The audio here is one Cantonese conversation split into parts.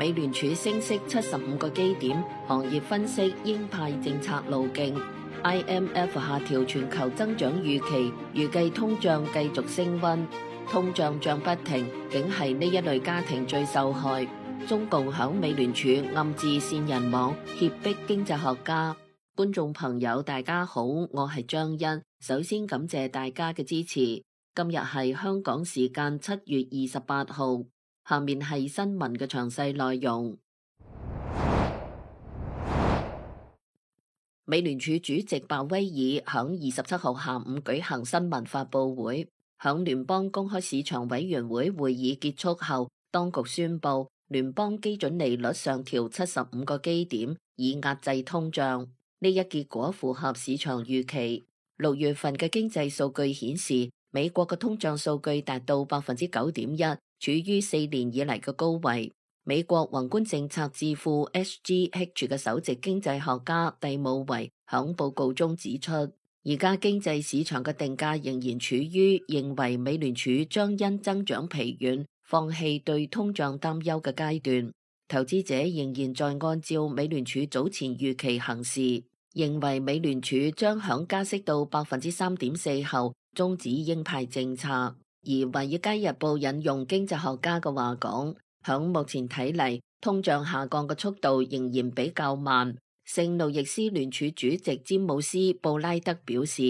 美聯儲升息75個基點，行業分析鷹派政策路徑。IMF 下調全球增長預期，預計通脹繼續升溫。通脹漲不停，竟係呢一類家庭最受害。中共響美聯儲暗自煽人網，脅迫經濟學家。觀眾朋友大家好，我係張欣，首先感謝大家嘅支持。今日係香港時間7月28號，下面係新聞嘅詳細內容。美聯儲主席鮑威爾響27號下午舉行新聞發佈會，響聯邦公開市場委員會會議結束後，當局宣布聯邦基準利率上調75個基點，以壓制通脹。呢一結果符合市場預期。6月份嘅經濟數據顯示，美國嘅通脹數據達到9.1%，處於4年以嚟嘅高位。美國宏觀政策智庫 SGH 嘅首席經濟學家蒂姆維響報告中指出，而家經濟市場嘅定價仍然處於認為美聯儲將因增長疲軟，放棄對通脹擔憂嘅階段。投資者仍然在按照美聯儲早前預期行事，認為美聯儲將響加息到3.4%後終止鷹派政策。而華爾街日報引用經濟學家嘅話講，響目前睇嚟，通脹下降嘅速度仍然比較慢。聖路易斯聯儲主席詹姆斯布拉德表示，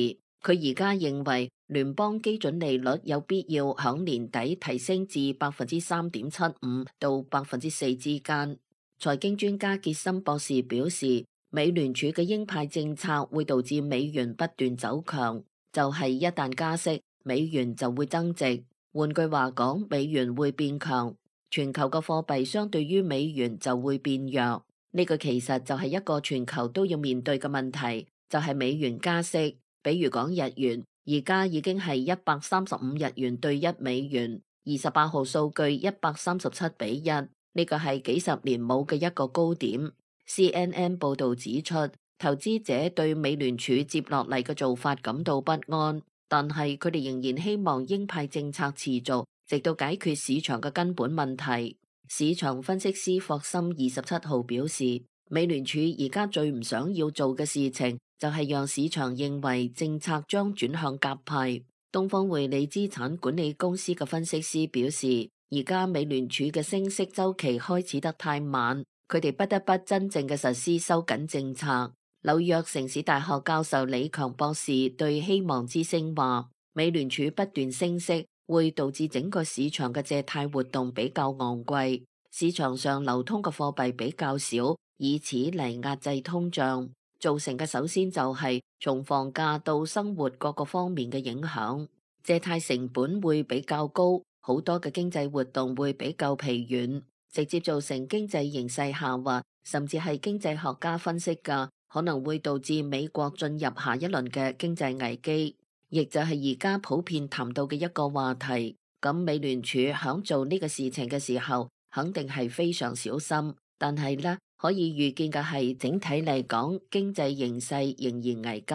佢而家認為聯邦基準利率有必要響年底提升至3.75%到4%之間。財經專家傑森博士表示，美聯儲嘅鷹派政策會導致美元不斷走強，就係一旦加息，美元就會增值。換句話講，美元會變強，全球嘅貨幣相對於美元就會變弱。呢個其實就係一個全球都要面對嘅問題，就係美元加息。比如講日元，而家已經係135日元對1美元，28號數據137:1，呢個係幾十年冇嘅一個高點。CNN 報導指出，投資者對美聯儲接落嚟嘅做法感到不安，但係佢哋仍然希望鷹派政策持續，直到解決市場嘅根本問題。市場分析師霍森27號表示，美聯儲而家最唔想要做嘅事情就係讓市場認為政策將轉向鴿派。東方匯理資產管理公司嘅分析師表示，而家美聯儲嘅升息週期開始得太慢，佢哋不得不真正嘅實施收緊政策。紐約城市大學教授李強博士對希望之聲話，美聯儲不斷升息會導致整個市場嘅借貸活動比較昂貴，市場上流通嘅貨幣比較少，以此嚟壓制通脹。造成嘅首先就係從房價到生活各個方面嘅影響，借貸成本會比較高，好多嘅經濟活動會比較疲軟，直接造成經濟形勢下滑，甚至係經濟學家分析嘅，可能會導致美國進入下一輪嘅經濟危機，亦就係而家普遍談到嘅一個話題。咁美聯儲響做呢個事情嘅時候，肯定係非常小心，但係呢，可以預見嘅係整體嚟講，經濟形勢仍然危急。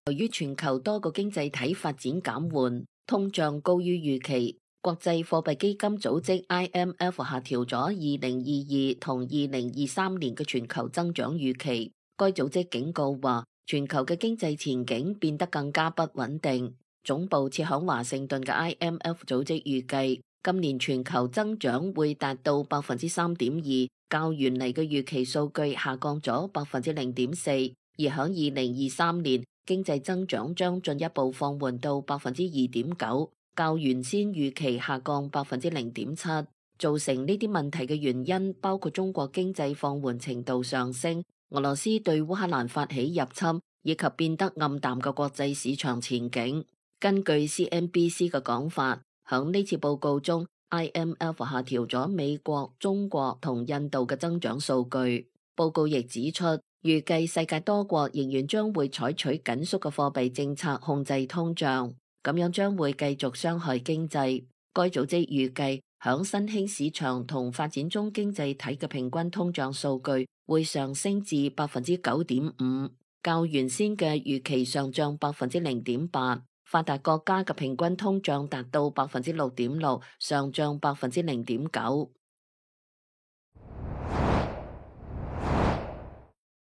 由於全球多個經濟體發展減緩，通脹高於預期，國際貨幣基金組織 IMF 下調咗2022同2023年嘅全球增長預期。該組織警告話，全球嘅經濟前景變得更加不穩定。總部設響華盛頓嘅 IMF 組織預計，今年全球增長會達到3.2%，較原嚟嘅預期數據下降咗0.4%，而響2023年經濟增長將進一步放緩到2.9%，較原先預期下降0.7%。造成呢啲問題嘅原因包括中國經濟放緩程度上升、俄羅斯對烏克蘭發起入侵，以及變得暗淡嘅國際市場前景。根據 CNBC 嘅講法，響呢次報告中 ，IMF 下調咗美國、中國同印度嘅增長數據。報告亦指出，預計世界多國仍然將會採取緊縮嘅貨幣政策控制通脹，咁樣將會繼續傷害經濟。該組織預計，響新興市場同發展中經濟體嘅平均通脹數據會上升至9.5%，較原先嘅預期上漲0.8%。發達國家嘅平均通脹達到6.6%，上漲0.9%。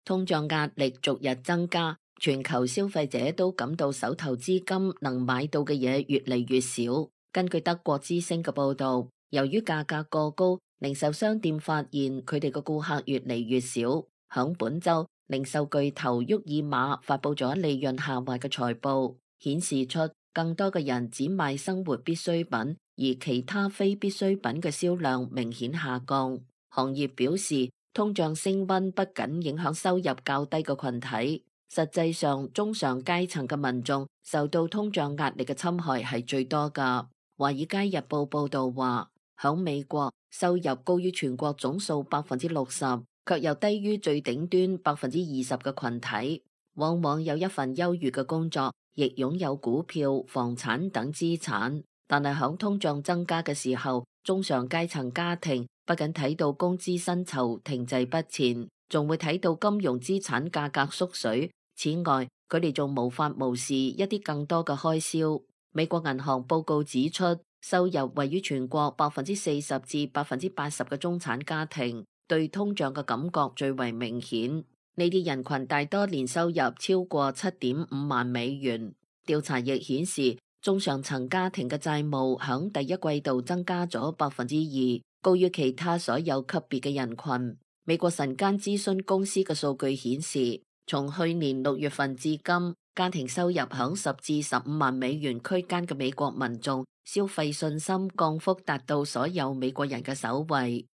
通脹壓力逐日增加，全球消費者都感到手頭資金能買到嘅嘢越嚟越少。根據德國之聲嘅報導，由於價格過高，零售商店發現佢哋嘅顧客越嚟越少。響本週，零售巨頭沃爾瑪發佈咗利潤下滑嘅財報，顯示出更多嘅人只買生活必需品，而其他非必需品嘅銷量明顯下降。行業表示，通脹升溫不僅影響收入較低嘅群體，實際上中上階層嘅民眾受到通脹壓力嘅侵害係最多㗎。華爾街日報報導話，響美國收入高於全國總數60%，卻又低於最頂端20%嘅群體，往往有一份優裕嘅工作，亦擁有股票、房產等資產。但係響通脹增加嘅時候，中上階層家庭不僅睇到工資薪酬停滯不前，仲會睇到金融資產價格縮水。此外，佢哋仲無法無視一啲更多嘅開銷。美國銀行報告指出，收入位於全國40%至80%嘅中產家庭，對通脹嘅感覺最為明顯。呢啲人群大多年收入超過7.5萬美元。調查亦顯示，中上層家庭嘅債務響第一季度增加咗2%，高於其他所有級別嘅人群。美國晨間諮詢公司嘅數據顯示，從去年6月份至今，家庭收入響10至15萬美元區間嘅美國民眾消費信心降幅達到所有美國人嘅首位。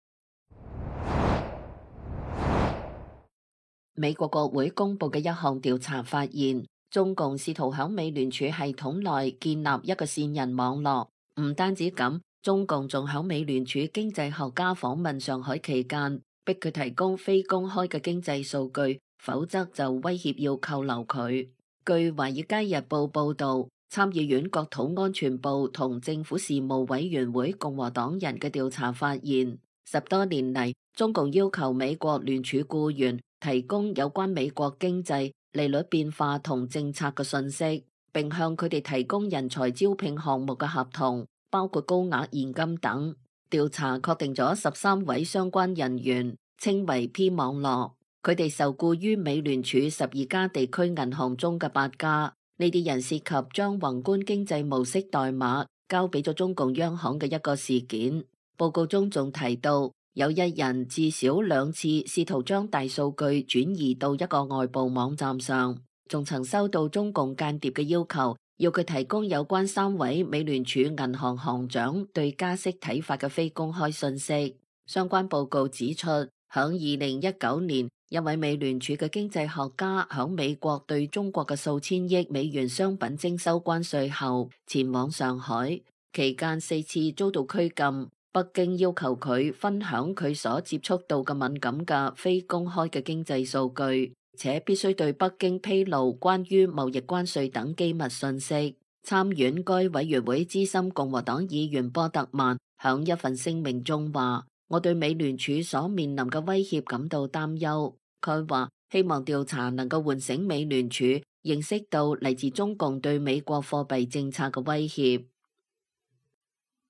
美國國會公布嘅一項調查發現，中共試圖響美聯儲系統內建立一個線人網絡。唔單止咁，中共仲響美聯儲經濟學家訪問上海期間，逼佢提供非公開嘅經濟數據，否則就威脅要扣留佢。據華爾街日報報導，參議院國土安全部同政府事務委員會共和黨人嘅調查發現，10多年嚟，中共要求美國聯儲僱員提供有關美國經濟、利率變化同政策嘅信息，並向佢哋提供人才招聘項目嘅合同，包括高額現金等。調查確定咗13位相關人員，稱為 P 網絡。佢哋受僱於美聯儲12家地區銀行中嘅8家。呢啲人涉及將宏觀經濟模式代碼交俾咗中共央行嘅一個事件。報告中仲提到，有一人至少2次試圖將大數據轉移到一個外部網站上，仲曾收到中共間諜嘅要求，要佢提供有關3位美聯儲銀行行長對加息睇法嘅非公開信息。相關報告指出，響2019年，一位美聯儲嘅經濟學家響美國對中國嘅數千億美元商品徵收關稅後，前往上海，期間4次遭到拘禁。北京要求佢分享佢所接觸到嘅敏感嘅非公開嘅經濟數據，且必須對北京披露關於貿易關稅等機密信息。參院該委員會資深共和黨議員波特曼響一份聲明中話：我對美聯儲所面臨嘅威脅感到擔憂。佢話希望調查能夠喚醒美聯儲認識到嚟自中共對美國貨幣政策嘅威脅。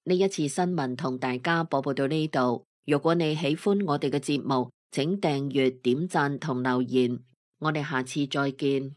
呢一次新聞同大家播報到呢度。如果你喜歡我哋嘅節目，請訂閱、點讚同留言。我哋下次再見。